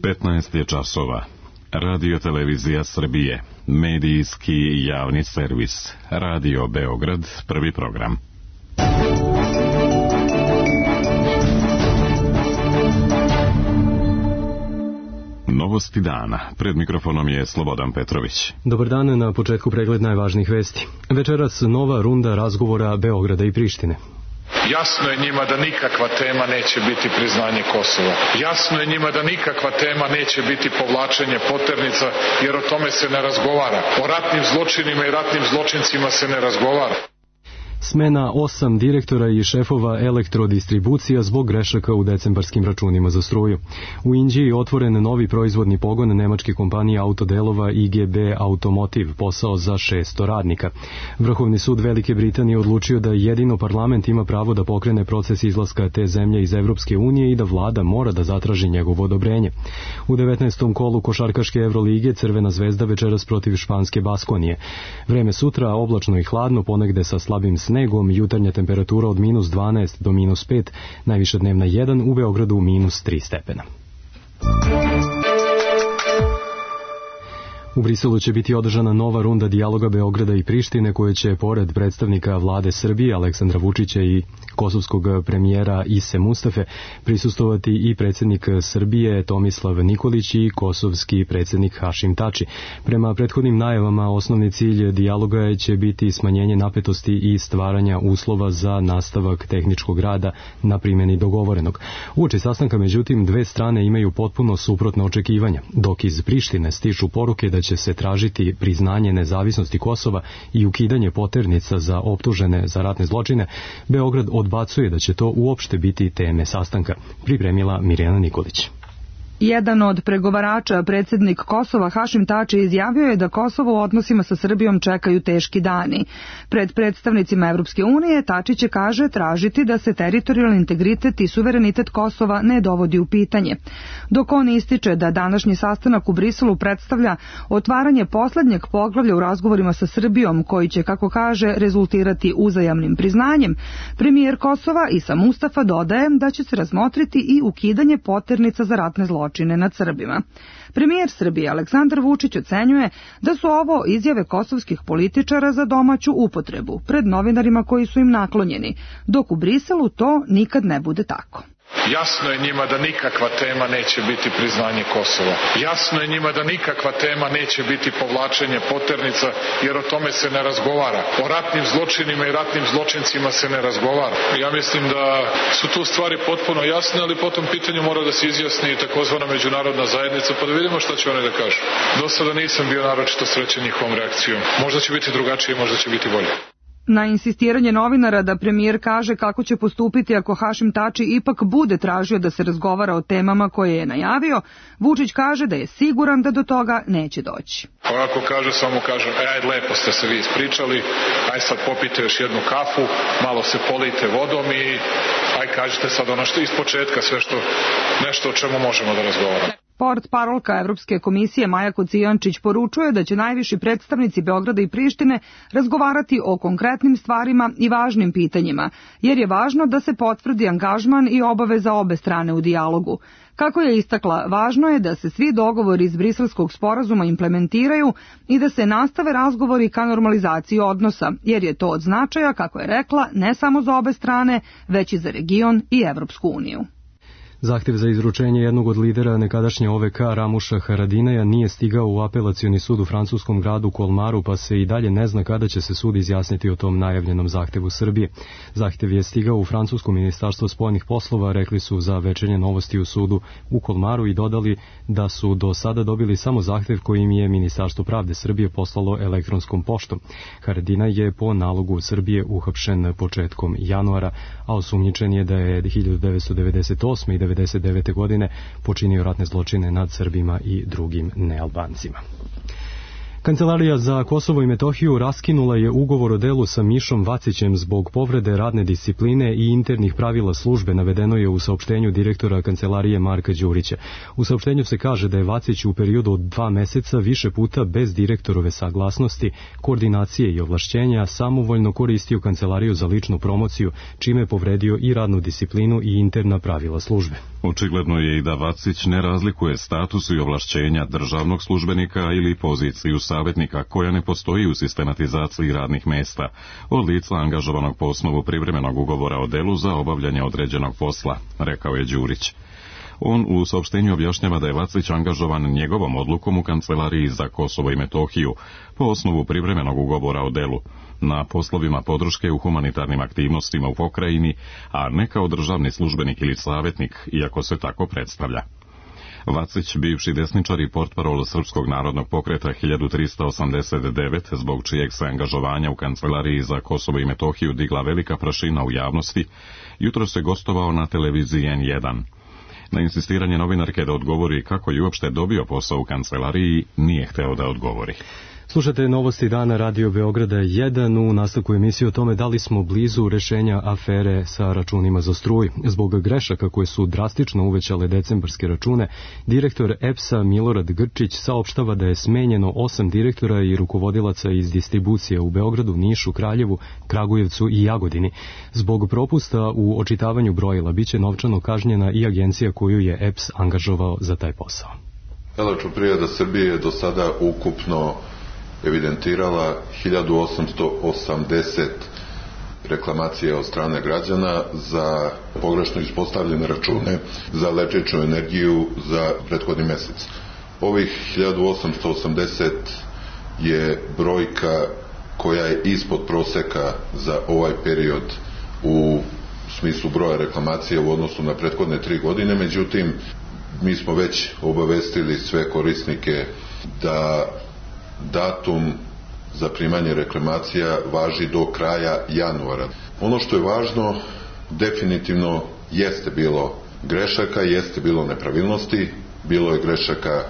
15 je časova. Radio Televizija Srbije, medijski javni servis. Radio Beograd, prvi program. Novosti dana. Pred mikrofonom je Slobodan Petrović. Dobar dan, na početku pregled najvažnijih vesti. Večeras nova runda razgovora Beograda i Prištine. Jasno je njima da nikakva tema neće biti priznanje Kosova. Jasno je njima da nikakva tema neće biti povlačenje poternica, jer o tome se ne razgovara. O ratnim zločinima i ratnim zločincima se ne razgovara. Smena 8 direktora i šefova elektrodistribucija zbog grešaka u decembarskim računima za struju. U Inđiji otvoren novi proizvodni pogon nemačke kompanije autodelova IGB Automotive, posao za 600 radnika. Vrhovni sud Velike Britanije odlučio da jedino parlament ima pravo da pokrene proces izlaska te zemlje iz Evropske unije i da vlada mora da zatraži njegovo odobrenje. U 19. kolu košarkaške Evrolige Crvena zvezda večeras protiv španske Baskonije. Vreme sutra oblačno i hladno, ponegde sa slabim snegom, jutarnja temperatura od minus 12 do minus 5, najviša dnevna 1, u Beogradu minus 3 stepena. U Briselu će biti održana nova runda dijaloga Beograda i Prištine, koje će, pored predstavnika vlade Srbije Aleksandra Vučića i kosovskog premijera Ise Mustafe, prisustovati i predsjednik Srbije Tomislav Nikolić i kosovski predsjednik Hašim Tači. Prema prethodnim najavama, osnovni cilj dijaloga će biti smanjenje napetosti i stvaranja uslova za nastavak tehničkog rada na primjeni dogovorenog. Uoči sastanka, međutim, dve strane imaju potpuno suprotna očekivanja, dok iz Prištine stižu poruke da će se tražiti priznanje nezavisnosti Kosova i ukidanje poternica za optužene za ratne zločine. Beograd odbacuje da će to uopšte biti teme sastanka, pripremila Mirjana Nikolić. Jedan od pregovarača, predsjednik Kosova Hašim Tači, izjavio je da Kosovo u odnosima sa Srbijom čekaju teški dani. Pred predstavnicima Evropske unije Tači će, kaže, tražiti da se teritorijalni integritet i suverenitet Kosova ne dovodi u pitanje. Dok on ističe da današnji sastanak u Briselu predstavlja otvaranje poslednjeg poglavlja u razgovorima sa Srbijom, koji će, kako kaže, rezultirati uzajamnim priznanjem, premijer Kosova Isa Mustafa dodaje da će se razmotriti i ukidanje poternica za ratne zločine nad Srbima. Premijer Srbije Aleksandar Vučić ocenjuje da su ovo izjave kosovskih političara za domaću upotrebu pred novinarima koji su im naklonjeni, dok u Briselu to nikad ne bude tako. Jasno je njima da nikakva tema neće biti priznanje Kosova. Jasno je njima da nikakva tema neće biti povlačenje poternica, jer o tome se ne razgovara. O ratnim zločinima i ratnim zločincima se ne razgovara. Ja mislim da su tu stvari potpuno jasne, ali po tom pitanju mora da se izjasni i takozvana međunarodna zajednica, pa da vidimo šta će one da kažu. Do sada nisam bio naročito srećen njihovom reakcijom. Možda će biti drugačije, možda će biti bolje. Na insistiranje novinara da premijer kaže kako će postupiti ako Hašim Tači ipak bude tražio da se razgovara o temama koje je najavio, Vučić kaže da je siguran da do toga neće doći. Ako kaže, samo kažem, ajde, lepo ste se vi ispričali, aj sad popite još jednu kafu, malo se polijte vodom i aj kažete sad ono što iz početka, sve što, nešto o čemu možemo da razgovaramo. Portparolka Evropske komisije Maja Kocijančić poručuje da će najviši predstavnici Beograda i Prištine razgovarati o konkretnim stvarima i važnim pitanjima, jer je važno da se potvrdi angažman i obaveza obe strane u dijalogu. Kako je istakla, važno je da se svi dogovori iz Briselskog sporazuma implementiraju i da se nastave razgovori ka normalizaciji odnosa, jer je to od značaja, kako je rekla, ne samo za obe strane, već i za region i Evropsku uniju. Zahtev za izručenje jednog od lidera nekadašnje OVK Ramuša Haradinaja nije stigao u apelacioni sud u francuskom gradu Kolmaru, pa se i dalje ne zna kada će se sud izjasniti o tom najavljenom zahtevu Srbije. Zahtev je stigao u francusko ministarstvo spoljnih poslova, rekli su za Večernje novosti u sudu u Kolmaru i dodali da su do sada dobili samo zahtev koji im je Ministarstvo pravde Srbije poslalo elektronskom poštom. Haradinaj je po nalogu Srbije uhapšen početkom januara, a osumnjičen je da je 1998. i 1999. godine počinio ratne zločine nad Srbima i drugim nealbancima. Kancelarija za Kosovo i Metohiju raskinula je ugovor o delu sa Mišom Vacićem zbog povrede radne discipline i internih pravila službe, navedeno je u saopštenju direktora kancelarije Marka Đurića. U saopštenju se kaže da je Vacić u periodu od 2 meseca više puta bez direktorove saglasnosti, koordinacije i ovlašćenja samovoljno koristio kancelariju za ličnu promociju, čime je povredio i radnu disciplinu i interna pravila službe. Očigledno je i da Vacić ne razlikuje status i ovlašćenja državnog službenika ili poziciju savjetnika koja ne postoji u sistematizaciji radnih mesta od lica angažovanog po osnovu privremenog ugovora o delu za obavljanje određenog posla, rekao je Đurić. On u saopštenju objašnjava da je Vacić angažovan njegovom odlukom u Kancelariji za Kosovo i Metohiju po osnovu privremenog ugovora o delu na poslovima podrške u humanitarnim aktivnostima u pokrajini, a ne kao državni službenik ili savjetnik, iako se tako predstavlja. Vacić, bivši desničar i portparol Srpskog narodnog pokreta 1389, zbog čijeg se angažovanja u Kancelariji za Kosovo i Metohiju digla velika prašina u javnosti, jutros je gostovao na televiziji N1. Na insistiranje novinarke da odgovori kako je uopšte dobio posao u kancelariji, nije hteo da odgovori. Slušate novosti dana Radio Beograda 1 u nastavku emisije o tome da li smo blizu rešenja afere sa računima za struju. Zbog grešaka koje su drastično uvećale decembarske račune, direktor EPS-a Milorad Grčić saopštava da je smenjeno 8 direktora i rukovodilaca iz distribucije u Beogradu, Nišu, Kraljevu, Kragujevcu i Jagodini. Zbog propusta u očitavanju brojila biće novčano kažnjena i agencija koju je EPS angažovao za taj posao. Elektroprivreda Srbije je do sada ukupno evidentirala 1880 reklamacija od strane građana za pogrešno ispostavljene račune za električnu energiju za prethodni mesec. Ovih 1880 je brojka koja je ispod proseka za ovaj period u smislu broja reklamacija u odnosu na prethodne 3 godine, međutim mi smo već obavestili sve korisnike da datum za primanje reklamacija važi do kraja januara. Ono što je važno, definitivno jeste bilo grešaka, jeste bilo nepravilnosti, bilo je grešaka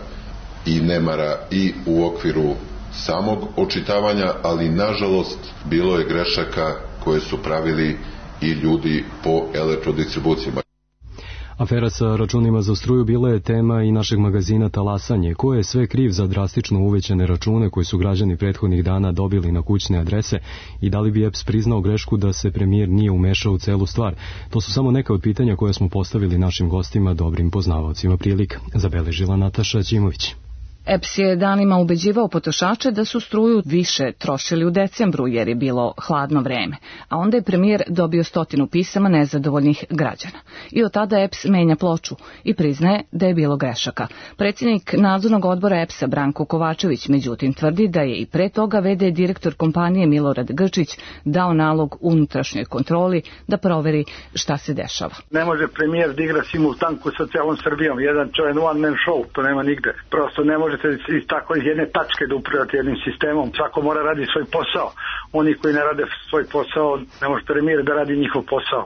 i nemara i u okviru samog očitavanja, ali nažalost bilo je grešaka koje su pravili i ljudi po elektrodistribucijama. Afera sa računima za struju bila je tema i našeg magazina Talasanje, ko je sve kriv za drastično uvećane račune koje su građani prethodnih dana dobili na kućne adrese i da li bi EPS priznao grešku da se premijer nije umešao u celu stvar. To su samo neka od pitanja koje smo postavili našim gostima, dobrim poznavaocima prilika, zabeležila Nataša Ćimović. EPS je danima ubeđivao potrošače da su struju više trošili u decembru jer je bilo hladno vreme, a onda je premijer dobio 100 pisama nezadovoljnih građana. I od tada EPS menja ploču i priznaje da je bilo grešaka. Predsjednik nadzornog odbora EPS-a Branko Kovačević međutim tvrdi da je i pre toga v.d. direktor kompanije Milorad Grčić dao nalog unutrašnjoj kontroli da proveri šta se dešava. Ne može premijer da igra simultanku sa celom Srbijom, jedan čovjek one man show, to nema nigde. Prosto ne može iz tako iz jedne tačke da upravljate jednim sistemom. Svako mora radi svoj posao. Oni koji ne rade svoj posao, ne može premijer da radi njihov posao.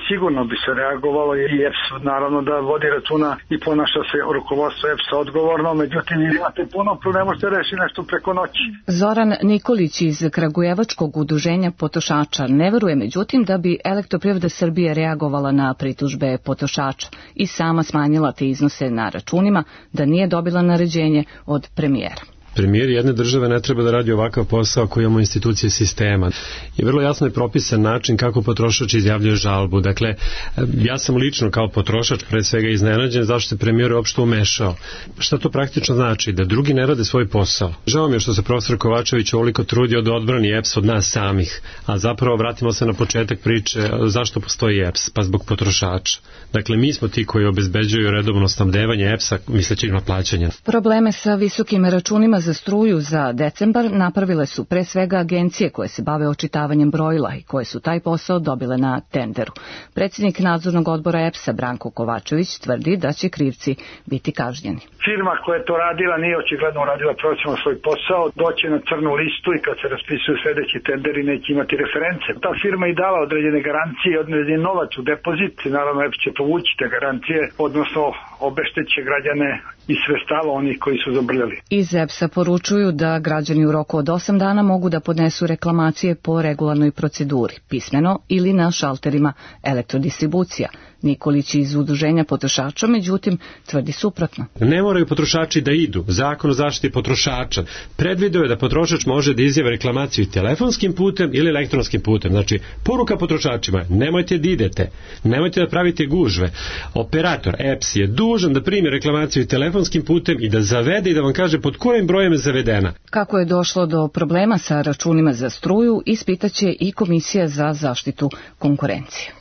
Sigurno bi se reagovalo i EPS naravno da vodi računa i ponaša se rukovodstvo EPS-a odgovorno, međutim imate puno problema, možete reši nešto preko noći. Zoran Nikolić iz Kragujevačkog udruženja potrošača ne veruje međutim da bi Elektroprivreda Srbije reagovala na pritužbe potrošača i sama smanjila te iznose na računima da nije dobila naređenje od premijera. Premijer jedne države ne treba da radi ovakav posao koji imamo institucije sistema. I vrlo jasno je propisan način kako potrošač izjavljuje žalbu. Dakle, ja sam lično kao potrošač pre svega iznenađen zašto se premijer uopšte umešao. Šta to praktično znači? Da drugi ne rade svoj posao. Žao mi je što se profesor Kovačević ovoliko trudio da odbrani EPS od nas samih, a zapravo vratimo se na početak priče zašto postoji EPS, pa zbog potrošača. Dakle, mi smo ti koji obezbeđuju redovno snabdevanje EPS-a misleći na plaćanje. Probleme sa visokim računima za struju za decembar napravile su pre svega agencije koje se bave očitavanjem brojila i koje su taj posao dobile na tenderu. Predsjednik nadzornog odbora EPS-a Branko Kovačević tvrdi da će krivci biti kažnjeni. Firma koja je to radila nije očigledno radila profesionalno svoj posao, doće na crnu listu i kad se raspisuju sledeći tenderi neće imati reference. Ta firma i dala određene garancije, određen novac u depozit, naravno EPS će povući te garancije, odnosno obešteće građane i sredstava onih koji su zabrljali. Iz EPS-a poručuju da građani u roku od 8 dana mogu da podnesu reklamacije po regularnoj proceduri, pismeno ili na šalterima elektrodistribucija. Nikolić iz Udruženja potrošača, međutim, tvrdi suprotno. Ne moraju potrošači da idu. Zakon o zaštiti potrošača predvideo je da potrošač može da izjave reklamaciju telefonskim putem ili elektronskim putem. Znači, poruka potrošačima, nemojte da idete, nemojte da pravite gužve. Operator EPS je dužan da primi reklamaciju telefonskim putem i da zavede i da vam kaže pod kojim brojem je zavedena. Kako je došlo do problema sa računima za struju, ispitaće i Komisija za zaštitu konkurencije.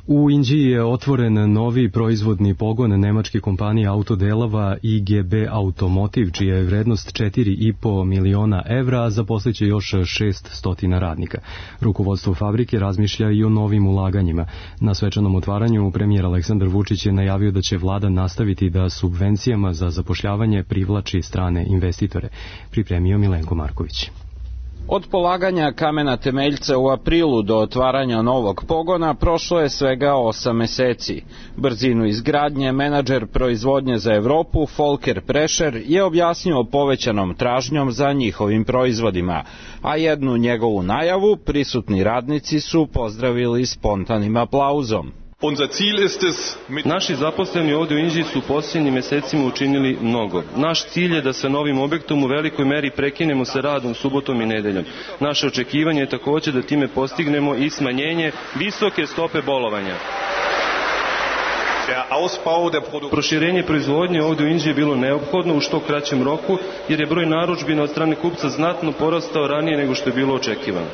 U Inđiji je otvoren novi proizvodni pogon nemačke kompanije autodelova IGB Automotive, čija je vrednost 4,5 miliona evra, a zaposliće još 600 radnika. Rukovodstvo fabrike razmišlja i o novim ulaganjima. Na svečanom otvaranju premijer Aleksandar Vučić je najavio da će vlada nastaviti da subvencijama za zapošljavanje privlači strane investitore. Pripremio Milenko Marković. Od polaganja kamena temeljca u aprilu do otvaranja novog pogona prošlo je svega 8 meseci. Brzinu izgradnje menadžer proizvodnje za Evropu Volker Prescher je objasnio povećanom tražnjom za njihovim proizvodima, a jednu njegovu najavu prisutni radnici su pozdravili spontanim aplauzom. Naši zaposleni ovdje u Inđiji su u posljednjim mesecima učinili mnogo. Naš cilj je da sa novim objektom u velikoj meri prekinemo sa radom subotom i nedeljom. Naše očekivanje je također da time postignemo i smanjenje visoke stope bolovanja. Proširenje proizvodnje ovdje u Inđiji je bilo neophodno u što kraćem roku, jer je broj narudžbina od strane kupca znatno porastao ranije nego što je bilo očekivano.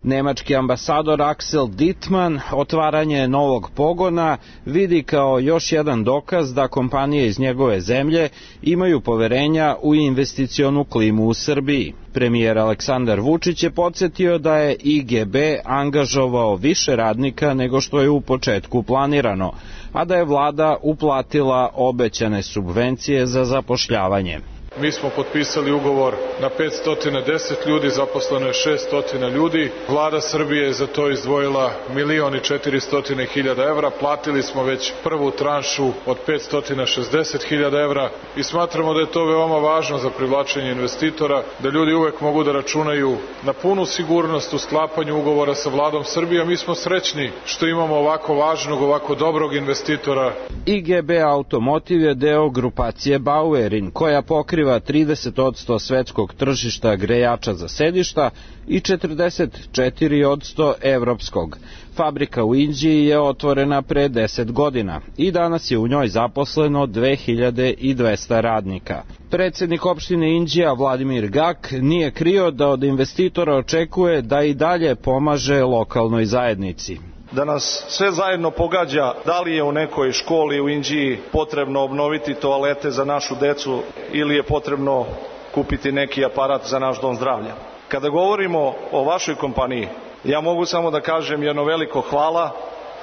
Nemački ambasador Axel Dittmann otvaranje novog pogona vidi kao još jedan dokaz da kompanije iz njegove zemlje imaju poverenja u investicionu klimu u Srbiji. Premijer Aleksandar Vučić je podsjetio da je IGB angažovao više radnika nego što je u početku planirano, a da je vlada uplatila obećane subvencije za zapošljavanje. Mi smo potpisali ugovor na 510 ljudi, zaposleno je 600 ljudi. Vlada Srbije je za to izdvojila 1.400.000 evra. Platili smo već prvu tranšu od 560.000 evra i smatramo da je to veoma važno za privlačenje investitora, da ljudi uvek mogu da računaju na punu sigurnost u sklapanju ugovora sa Vladom Srbije. Mi smo srećni što imamo ovako važnog, ovako dobrog investitora. IGB Automotive je deo grupacije Bauerin, koja pokriva 30% svetskog tržišta grejača za sedišta i 44% evropskog. Fabrika u Inđiji je otvorena pre 10 godina i danas je u njoj zaposleno 2200 radnika. Predsjednik opštine Inđija Vladimir Gak nije krio da od investitora očekuje da i dalje pomaže lokalnoj zajednici. Da nas sve zajedno pogađa da li je u nekoj školi u Inđiji potrebno obnoviti toalete za našu decu ili je potrebno kupiti neki aparat za naš dom zdravlja. Kada govorimo o vašoj kompaniji, ja mogu samo da kažem jedno veliko hvala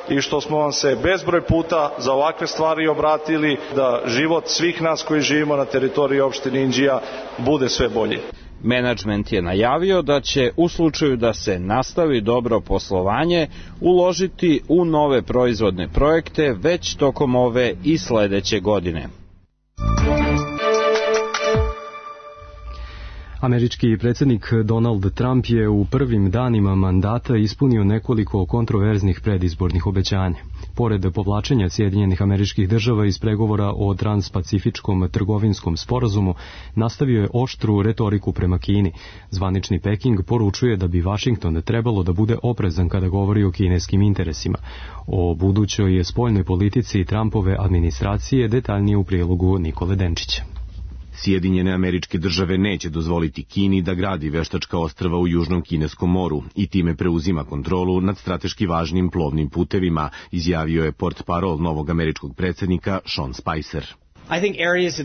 i što smo vam se bezbroj puta za ovakve stvari obratili, da život svih nas koji živimo na teritoriji opštine Inđija bude sve bolji. Menadžment je najavio da će u slučaju da se nastavi dobro poslovanje uložiti u nove proizvodne projekte već tokom ove i sledeće godine. Američki predsjednik Donald Trump je u prvim danima mandata ispunio nekoliko kontroverznih predizbornih obećanja. Pored povlačenja Sjedinjenih Američkih Država iz pregovora o transpacifičkom trgovinskom sporazumu, nastavio je oštru retoriku prema Kini. Zvanični Peking poručuje da bi Vašington trebalo da bude oprezan kada govori o kineskim interesima. O budućoj spoljnoj politici Trumpove administracije detaljnije u prilogu Nikole Denčića. Sjedinjene Američke Države neće dozvoliti Kini da gradi veštačka ostrva u Južnom Kineskom moru i time preuzima kontrolu nad strateški važnim plovnim putevima, izjavio je portparol novog američkog predsjednika Sean Spicer.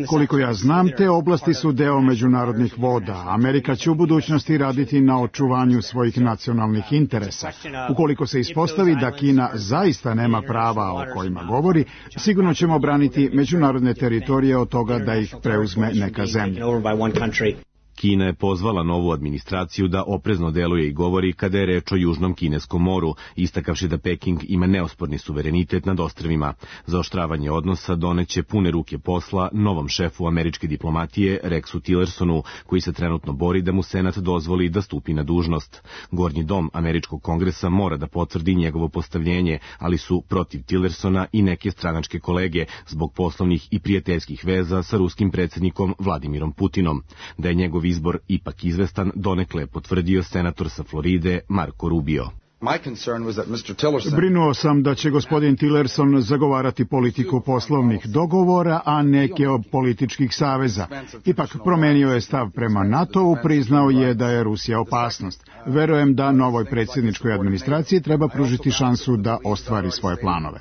Koliko ja znam, te oblasti su deo međunarodnih voda. Amerika će u budućnosti raditi na očuvanju svojih nacionalnih interesa. Ukoliko se ispostavi da Kina zaista nema prava o kojima govori, sigurno ćemo braniti međunarodne teritorije od toga da ih preuzme neka zemlja. Kina je pozvala novu administraciju da oprezno deluje i govori kada je reč o Južnom kineskom moru, istakavši da Peking ima neosporni suverenitet nad ostrvima. Zaoštravanje odnosa doneće pune ruke posla novom šefu američke diplomatije Rexu Tillersonu, koji se trenutno bori da mu Senat dozvoli da stupi na dužnost. Gornji dom američkog kongresa mora da potvrdi njegovo postavljenje, ali su protiv Tillersona i neke stranačke kolege zbog poslovnih i prijateljskih veza sa ruskim predsjednikom Vladimirom Putinom. Da je njegov izbor ipak izvestan, donekle potvrdio senator sa Floride Marco Rubio. Brinuo sam da će gospodin Tillerson zagovarati politiku poslovnih dogovora, a neke od političkih saveza. Ipak promenio je stav prema NATO-u, priznao je da je Rusija opasnost. Verujem da novoj predsjedničkoj administraciji treba pružiti šansu da ostvari svoje planove.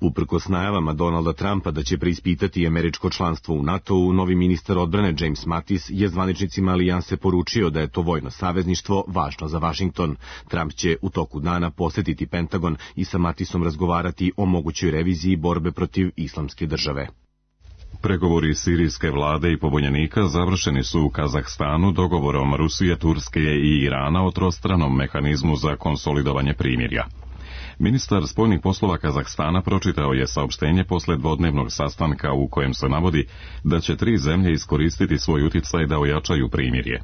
Uprkos najavama Donalda Trumpa da će preispitati američko članstvo u NATO-u, novi ministar odbrane James Mattis je zvaničnicima alijanse poručio da je to vojno savezništvo važno za Vašington. Trump će u toku dana posetiti Pentagon i sa Mattisom razgovarati o mogućoj reviziji borbe protiv islamske države. Pregovori sirijske vlade i pobunjenika završeni su u Kazahstanu dogovorom Rusije, Turske i Irana o trostranom mehanizmu za konsolidovanje primirja. Ministar spoljnih poslova Kazahstana pročitao je saopštenje posle dvodnevnog sastanka u kojem se navodi da će 3 zemlje iskoristiti svoj uticaj da ojačaju primirje.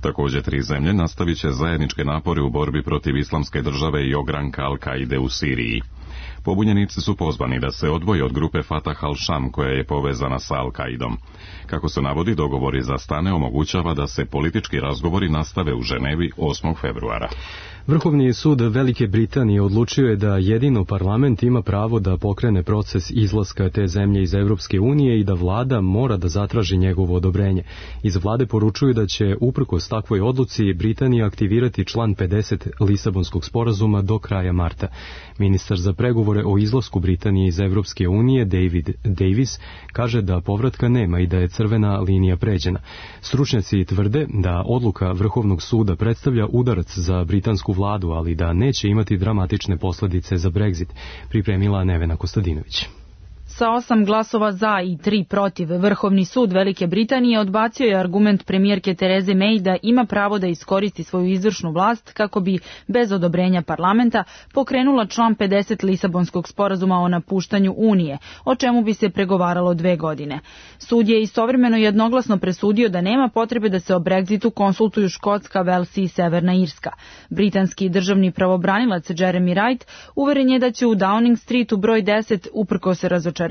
Također 3 zemlje nastavit će zajedničke napore u borbi protiv islamske države i ogranka Al-Kaide u Siriji. Pobunjenici su pozvani da se odvoje od grupe Fatah al-Sham koja je povezana sa Al-Kaidom. Kako se navodi, dogovori za stane omogućava da se politički razgovori nastave u Ženevi 8. februara. Vrhovni sud Velike Britanije odlučio je da jedino parlament ima pravo da pokrene proces izlaska te zemlje iz Evropske unije i da vlada mora da zatraži njegovo odobrenje. Iz vlade poručuju da će uprkos takvoj odluci Britanija aktivirati član 50 Lisabonskog sporazuma do kraja marta. Ministar za pregovore o izlasku Britanije iz Evropske unije David Davis kaže da povratka nema i da je crvena linija pređena. Stručnjaci tvrde da odluka Vrhovnog suda predstavlja udarac za britansku vladu, ali da neće imati dramatične posljedice za Brexit, pripremila Nevena Kostadinović. Sa 8 glasova za i 3 protiv, Vrhovni sud Velike Britanije odbacio je argument premijerke Tereze May da ima pravo da iskoristi svoju izvršnu vlast kako bi, bez odobrenja parlamenta, pokrenula član 50 Lisabonskog sporazuma o napuštanju Unije, o čemu bi se pregovaralo 2 godine. Sud je istovremeno jednoglasno presudio da nema potrebe da se o Brexitu konsultuju Škotska, Vels i Severna Irska. Britanski državni pravobranilac Jeremy Wright uveren je da će u Downing Streetu broj 10 uprkos razočarenju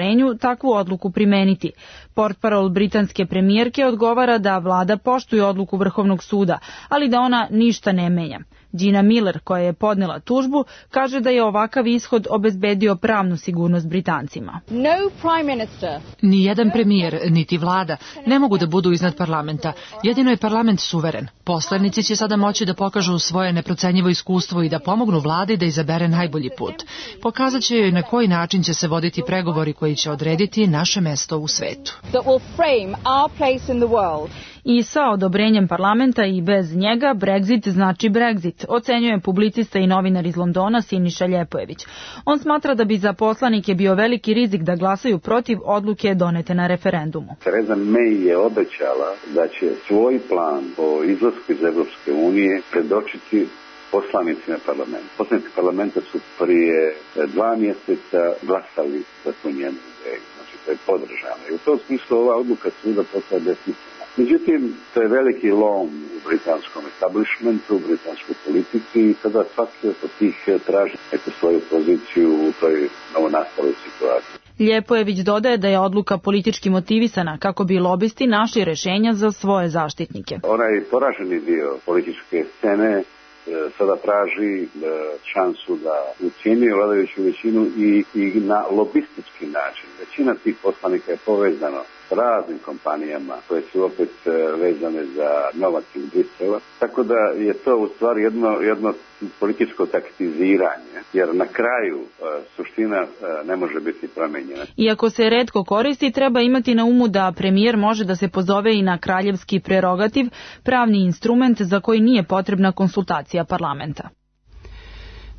takvu odluku primeniti. Portparol britanske premijerke odgovara da vlada poštuje odluku Vrhovnog suda, ali da ona ništa ne menja. Gina Miller, koja je podnela tužbu, kaže da je ovakav ishod obezbedio pravnu sigurnost Britancima. Nijedan premijer, niti vlada, ne mogu da budu iznad parlamenta. Jedino je parlament suveren. Poslanici će sada moći da pokažu svoje neprocenjivo iskustvo i da pomognu vladi da izabere najbolji put. Pokazat će joj na koji način će se voditi pregovori koji će odrediti naše mesto u svetu. I sa odobrenjem parlamenta i bez njega Brexit znači Brexit, ocenjuje publicista i novinar iz Londona Siniša Ljepojević. On smatra da bi za poslanike bio veliki rizik da glasaju protiv odluke donete na referendumu. Tereza May je obećala da će svoj plan o izlasku iz Evropske unije predočiti poslanicima parlamenta. Poslanici parlamenta su prije 2 mjeseca glasali za tu njenu ideju. Znači to je podržano. I u tom smislu ova odluka suda postaje besmislena. Međutim, to je veliki lom u britanskom establishmentu, u britanskoj politici i sada svaki od tih traži neku svoju poziciju u toj novonastaloj situaciji. Ljepojević dodaje da je odluka politički motivisana kako bi lobisti našli rešenja za svoje zaštitnike. Onaj poraženi dio političke scene sada traži šansu da ucijeni vladajuću većinu i na lobistički način. Većina tih poslanika je povezano s raznim kompanijama koje su opet vezane za novac iz Brisela. Tako da je to u stvari jedno političko taktiziranje, jer na kraju suština ne može biti promenjena. Iako se retko koristi, treba imati na umu da premijer može da se pozove i na kraljevski prerogativ, pravni instrument za koji nije potrebna konsultacija parlamenta.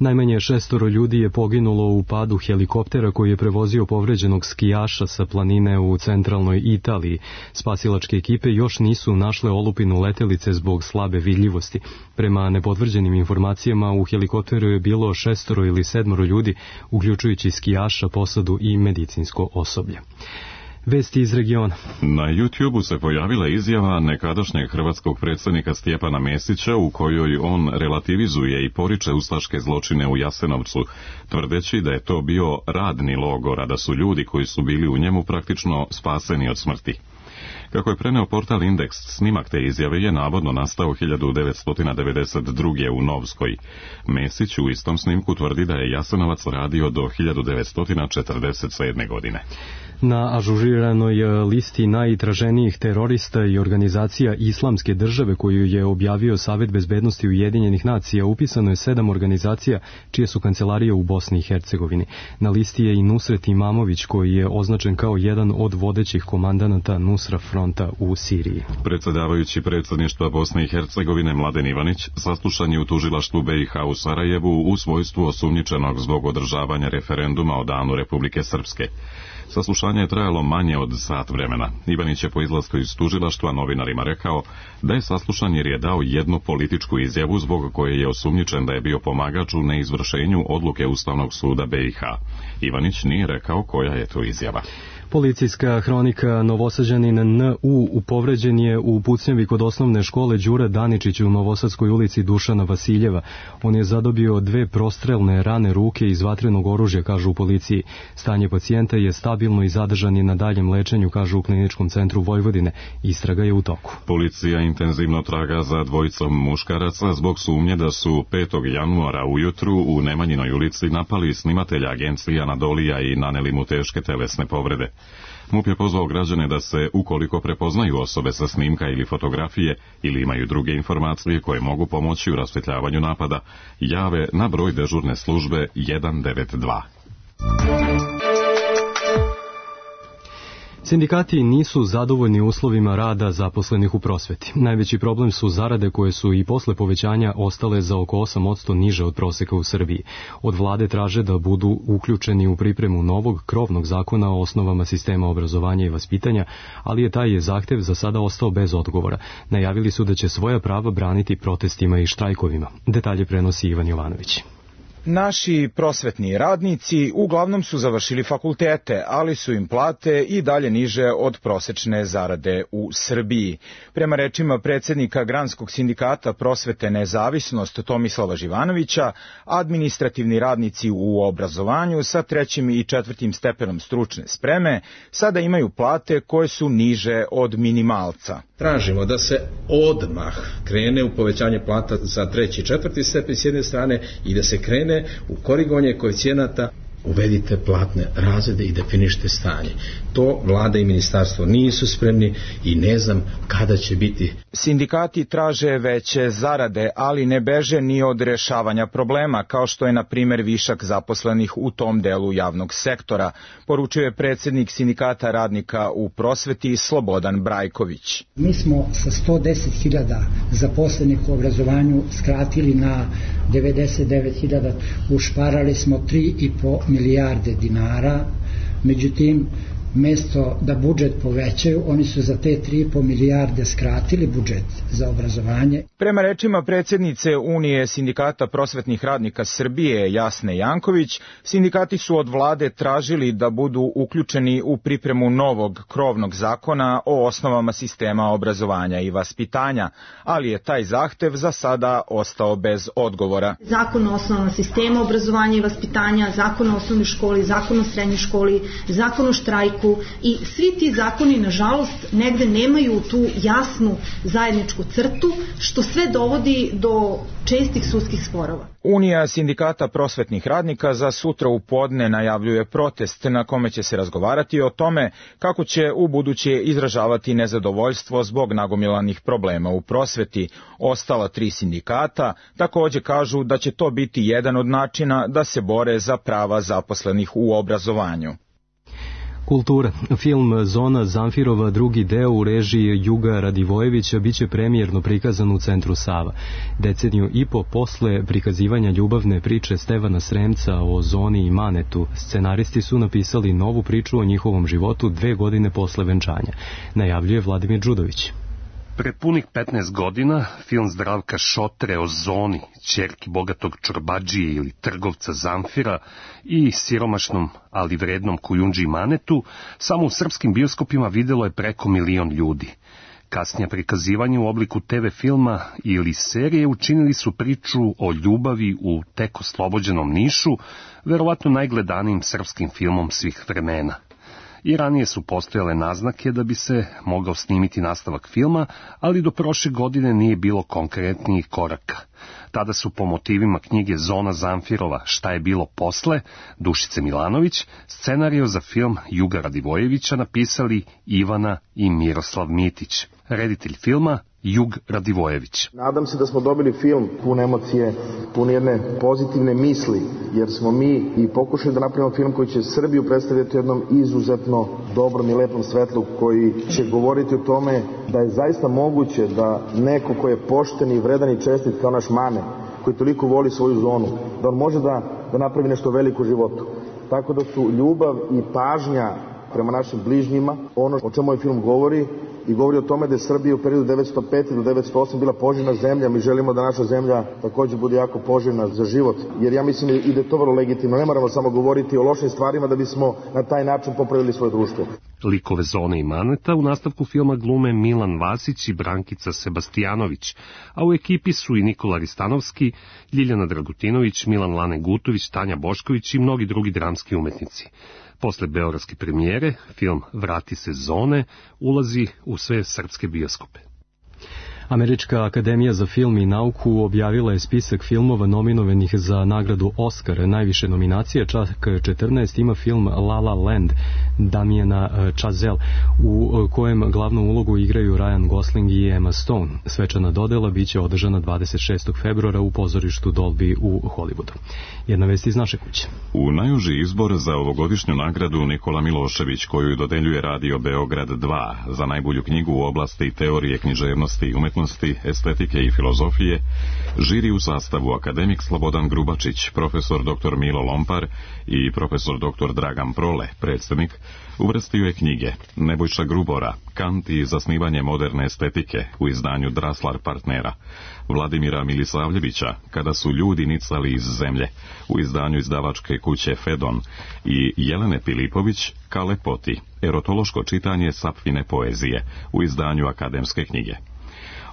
Najmanje 6 ljudi je poginulo u padu helikoptera koji je prevozio povređenog skijaša sa planine u centralnoj Italiji. Spasilačke ekipe još nisu našle olupinu letelice zbog slabe vidljivosti. Prema nepotvrđenim informacijama u helikopteru je bilo 6 ili 7 ljudi, uključujući skijaša, posadu i medicinsko osoblje. Vesti iz regiona. Na YouTubeu se pojavila izjava nekadašnjeg hrvatskog predsjednika Stjepana Mesića u kojoj on relativizuje i poriče ustaške zločine u Jasenovcu, tvrdeći da je to bio radni logor, a da su ljudi koji su bili u njemu praktično spaseni od smrti. Kako je preneo portal Indeks, snimak te izjave je navodno nastao 1992. u Novskoj. Mesić u istom snimku tvrdi da je Jasenovac radio do 1947. godine. Na ažuriranoj listi najtraženijih terorista i organizacija Islamske države koju je objavio Savet bezbednosti Ujedinjenih nacija upisano je 7 organizacija čije su kancelarije u Bosni i Hercegovini. Na listi je i Nusret Imamović koji je označen kao jedan od vodećih komandanata Nusra fronta u Siriji. Predsjedavajući predsjedništva Bosne i Hercegovine Mladen Ivanić saslušan je u tužilaštvu BiH u Sarajevu u svojstvu osumnjičenog zbog održavanja referenduma o danu Republike Srpske. Saslušanje je trajalo manje od sat vremena. Ivanić je po izlasku iz tužilaštva novinarima rekao da je saslušan jer je dao jednu političku izjavu zbog koje je osumnjičen da je bio pomagač u neizvršenju odluke Ustavnog suda BiH. Ivanić nije rekao koja je to izjava. Policijska hronika. Novosađanin N.U. povređen je u pucnjavi kod osnovne škole Đura Daničić u Novosadskoj ulici Dušana Vasiljeva. On je zadobio 2 prostrelne rane ruke iz vatrenog oružja, kažu u policiji. Stanje pacijenta je stabilno i zadržan je na daljem lečenju, kažu u Kliničkom centru Vojvodine. Istraga je u toku. Policija intenzivno traga za dvojicom muškaraca zbog sumnje da su 5. januara ujutru u Nemanjinoj ulici napali snimatelja agencije Anadolija i naneli mu teške telesne povrede. MUP je pozvao građane da se, ukoliko prepoznaju osobe sa snimka ili fotografije ili imaju druge informacije koje mogu pomoći u rasvjetljavanju napada, jave na broj dežurne službe 192. Sindikati nisu zadovoljni uslovima rada zaposlenih u prosveti. Najveći problem su zarade koje su i posle povećanja ostale za oko 8% niže od proseka u Srbiji. Od vlade traže da budu uključeni u pripremu novog krovnog zakona o osnovama sistema obrazovanja i vaspitanja, ali je taj zahtev za sada ostao bez odgovora. Najavili su da će svoja prava braniti protestima i štrajkovima. Detalje prenosi Ivan Jovanović. Naši prosvetni radnici uglavnom su završili fakultete, ali su im plate i dalje niže od prosečne zarade u Srbiji. Prema rečima predsjednika Granskog sindikata prosvete Nezavisnost Tomislava Živanovića, administrativni radnici u obrazovanju sa 3. i 4. stepenom stručne spreme sada imaju plate koje su niže od minimalca. Tražimo da se odmah krene u povećanje plata za 3. i 4. stepen s jedne strane i da se krene u korigovanje koeficijenata. Uvedite platne razrede i definišite stanje. To vlada i ministarstvo nisu spremni i ne znam kada će biti. Sindikati traže veće zarade, ali ne beže ni od rešavanja problema, kao što je na primjer višak zaposlenih u tom delu javnog sektora, poručuje predsjednik sindikata radnika u prosveti Slobodan Brajković. Mi smo sa 110.000 zaposlenih u obrazovanju skratili na 99.000, ušparali smo 3,5 milijarde dinara, međutim, mjesto da budžet povećaju, oni su za te 3,5 milijarde skratili budžet za obrazovanje. Prema rečima predsjednice Unije sindikata prosvetnih radnika Srbije Jasne Janković, sindikati su od vlade tražili da budu uključeni u pripremu novog krovnog zakona o osnovama sistema obrazovanja i vaspitanja, ali je taj zahtev za sada ostao bez odgovora. Zakon o osnovama sistema obrazovanja i vaspitanja, zakon o osnovnoj školi, zakon o srednjoj školi, zakon o štrajku, i svi ti zakoni, nažalost, negde nemaju tu jasnu zajedničku crtu, što sve dovodi do čestih sudskih sporova. Unija sindikata prosvetnih radnika za sutra u podne najavljuje protest na kome će se razgovarati o tome kako će u buduće izražavati nezadovoljstvo zbog nagomilanih problema u prosveti. Ostala 3 sindikata također kažu da će to biti jedan od načina da se bore za prava zaposlenih u obrazovanju. Kultura. Film Zona Zamfirova, drugi deo u režiji Juga Radivojevića, biće premijerno prikazan u Centru Sava. Deceniju i po posle prikazivanja ljubavne priče Stevana Sremca o Zoni i Manetu, scenaristi su napisali novu priču o njihovom životu 2 godine posle venčanja, najavljuje Vladimir Đudović. Pre punih 15 godina film Zdravka Šotre o Zoni, ćerki bogatog čorbadžije ili trgovca Zamfira i siromašnom, ali vrednom Kujundži Manetu, samo u srpskim bioskopima videlo je preko 1 milion ljudi. Kasnije prikazivanje u obliku TV filma ili serije učinili su priču o ljubavi u tek oslobođenom Nišu, verovatno najgledanijim srpskim filmom svih vremena. I ranije su postojale naznake da bi se mogao snimiti nastavak filma, ali do prošle godine nije bilo konkretnijih koraka. Tada su po motivima knjige Zona Zamfirova, Šta je bilo posle, Dušice Milanović, scenario za film Juga Radivojevića napisali Ivana i Miroslav Mitić. Reditelj filma Jug Radivojević. Nadam se da smo dobili film pun emocije, pun jedne pozitivne misli, jer smo mi i pokušali da napravimo film koji će Srbiju predstaviti u jednom izuzetno dobrom i lepom svetlu, koji će govoriti o tome da je zaista moguće da neko ko je pošten i vredan i čestit kao naš Mane, koji toliko voli svoju zonu, da on može da napravi nešto veliko u životu. Tako da su ljubav i pažnja prema našim bližnjima ono o čemu ovaj film govori, i govori o tome da je Srbija u periodu 1905. do 1908. bila poželjna zemlja. Mi želimo da naša zemlja također bude jako poželjna za život, jer ja mislim i da je to vrlo legitimno. Ne moramo samo govoriti o lošim stvarima da bismo na taj način popravili svoje društvo. Likove Zone i Maneta u nastavku filma glume Milan Vasić i Brankica Sebastijanović, a u ekipi su i Nikola Ristanovski, Ljiljana Dragutinović, Milan Lane Gutović, Tanja Bošković i mnogi drugi dramski umetnici. Posle beogradske premijere, film Vrati se Zone ulazi u sve srpske bioskope. Američka akademija za film i nauku objavila je spisak filmova nominovanih za nagradu Oscar. Najviše nominacija, čak 14, ima film La La Land Damiena Chazelle, u kojem glavnu ulogu igraju Ryan Gosling i Emma Stone. Svečana dodela biće održana 26. februara u pozorištu Dolby u Hollywoodu. Jedna vest iz naše kuće. U najuži izbor za ovogodišnju nagradu Nikola Milošević, koju dodeljuje Radio Beograd 2 za najbolju knjigu u oblasti teorije književnosti i umetnosti, estetike i filozofije, žiri u sastavu akademik Slobodan Grubačić, profesor dr. Milo Lompar i profesor dr. Dragan Prole, predsjednik, uvrstio je knjige Nebojša Grubora, Kant i zasnivanje moderne estetike u izdanju Draslar partnera, Vladimira Milisavljevića, Kada su ljudi nicali iz zemlje u izdanju izdavačke kuće Fedon i Jelene Pilipović, Ka lepoti, erotološko čitanje Sapfine poezije u izdanju akademske knjige.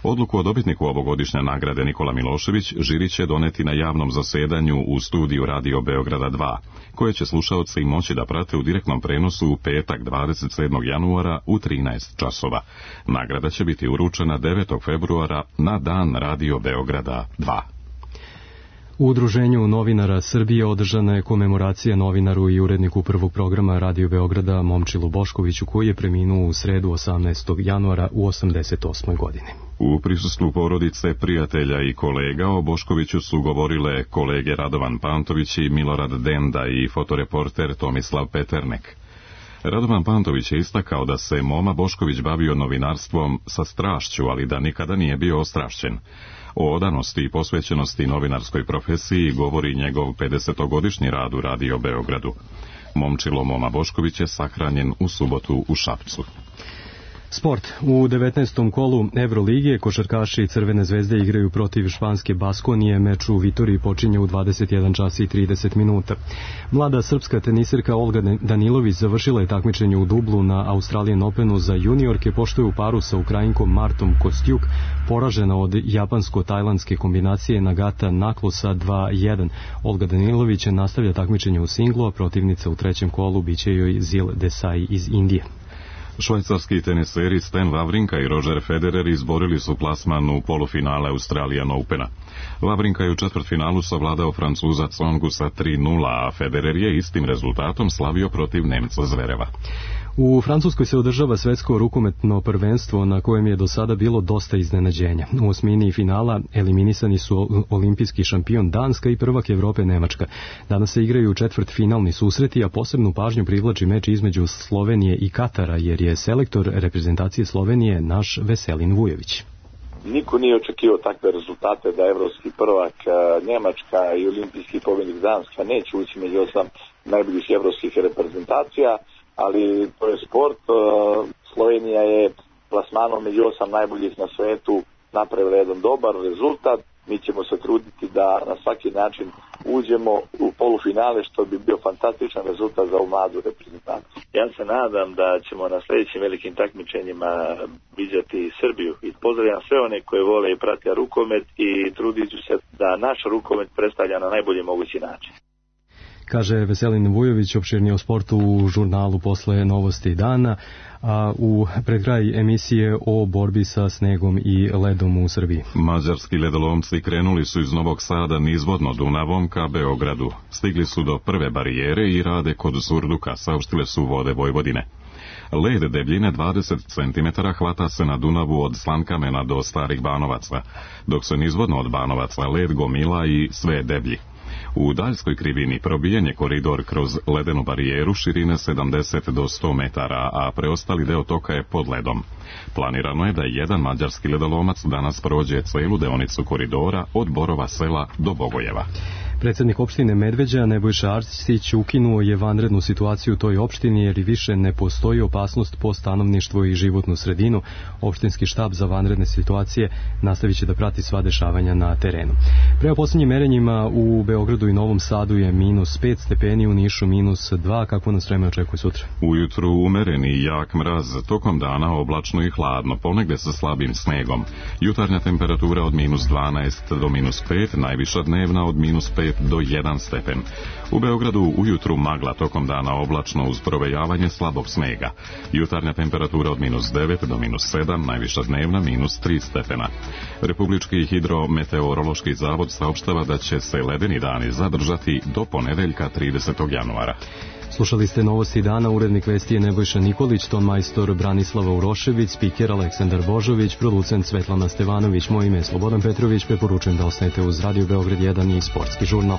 Odluku o dobitniku ovogodišnje nagrade Nikola Milošević žiri će doneti na javnom zasedanju u studiju Radio Beograda 2, koje će slušaoci moći da prate u direktnom prenosu u petak 27. januara u 13 časova. Nagrada će biti uručena 9. februara na dan Radio Beograda 2. U Udruženju novinara Srbije održana je komemoracija novinaru i uredniku prvog programa Radio Beograda Momčilu Boškoviću, koji je preminuo u sredu 18. januara u 88. godini. U prisustvu porodice, prijatelja i kolega o Boškoviću su govorile kolege Radovan Pantović i Milorad Denda i fotoreporter Tomislav Peternek. Radovan Pantović je istakao da se Moma Bošković bavio novinarstvom sa strašću, ali da nikada nije bio ostrašćen. O odanosti i posvećenosti novinarskoj profesiji govori njegov 50-godišnji rad u Radio Beogradu. Momčilo Moma Bošković je sahranjen u subotu u Šapcu. Sport. U 19. kolu Evroligije košarkaši Crvene zvezde igraju protiv španske Baskonije. Meč u Vitoriji počinje u 21 čas i 30 minuta. Mlada srpska teniserka Olga Danilović završila je takmičenje u dublu na Australian Openu za juniorke, pošto je u paru sa Ukrajinkom Martom Kostjuk poražena od japansko-tajlandske kombinacije Nagata Naklosa 2-1. Olga Danilović nastavlja takmičenje u singlu, a protivnica u trećem kolu biće joj Zil Desai iz Indije. Švajcarski teniseri Stan Wawrinka i Roger Federer izborili su plasman u polufinale Australian Opena. Wawrinka je u četvrtfinalu savladao Francuza Tsongu sa 3-0, a Federer je istim rezultatom slavio protiv Nemca Zvereva. U Francuskoj se održava svetsko rukometno prvenstvo na kojem je do sada bilo dosta iznenađenja. U osmini finala eliminisani su olimpijski šampion Danska i prvak Evrope Nemačka. Danas se igraju četvrtfinalni susreti, a posebnu pažnju privlači meč između Slovenije i Katara, jer je selektor reprezentacije Slovenije naš Veselin Vujović. Niko nije očekivao takve rezultate da evropski prvak Njemačka i olimpijski pobjednik Danska neće ući među 8 najboljih evropskih reprezentacija, ali to je sport. Slovenija je plasmanom među 8 najboljih na svetu napravila jedan dobar rezultat. Mi ćemo se truditi da na svaki način uđemo u polufinale, što bi bio fantastičan rezultat za ovu mladu reprezentaciju. Ja se nadam da ćemo na sljedećim velikim takmičenjima viđati Srbiju i pozdravljam sve one koje vole i prate rukomet i trudit ću se da naš rukomet predstavlja na najbolji mogući način. Kaže Veselin Vujović, opširnije o sportu u žurnalu Posle novosti dana, a pred kraj emisije o borbi sa snegom i ledom u Srbiji. Mađarski ledolomci krenuli su iz Novog Sada nizvodno Dunavom ka Beogradu. Stigli su do prve barijere i rade kod Surduka, saopštile su Vode Vojvodine. Led debljine 20 cm hvata se na Dunavu od Slankamena do Starih Banovaca, dok se nizvodno od Banovaca led gomila i sve deblji. U daljskoj krivini probijen je koridor kroz ledenu barijeru širine 70 do 100 metara, a preostali deo toka je pod ledom. Planirano je da jedan mađarski ledolomac danas prođe celu deonicu koridora od Borova sela do Bogojeva. Predsjednik opštine Medveđa Nebojša Arsić ukinuo je vanrednu situaciju u toj opštini jer i više ne postoji opasnost po stanovništvo i životnu sredinu. Opštinski štab za vanredne situacije nastavit će da prati sva dešavanja na terenu. Prema posljednjim merenjima u Beogradu i Novom Sadu je -5 stepeni, u Nišu -2. Kako nas vreme očekuje sutra? Ujutru umereni i jak mraz, tokom dana oblačno i hladno, ponegde sa slabim snegom. Jutarnja temperatura od -12 do -5, najviša dnevna od -5 do 1 stepen. U Beogradu ujutru magla, tokom dana oblačno uz provejavanje slabog snega. Jutarnja temperatura od -9 do -7, najviša dnevna -3 stepena. Republički hidrometeorološki zavod saopštava da će se ledeni dani zadržati do ponedeljka 30. januara. Slušali ste novosti dana, urednik vesti je Nebojša Nikolić, ton majstor Branislava Urošević, spiker Aleksandar Božović, producent Svetlana Stevanović, moje ime je Slobodan Petrović, preporučujem da ostanete uz Radio Beograd 1 i Sportski žurnal.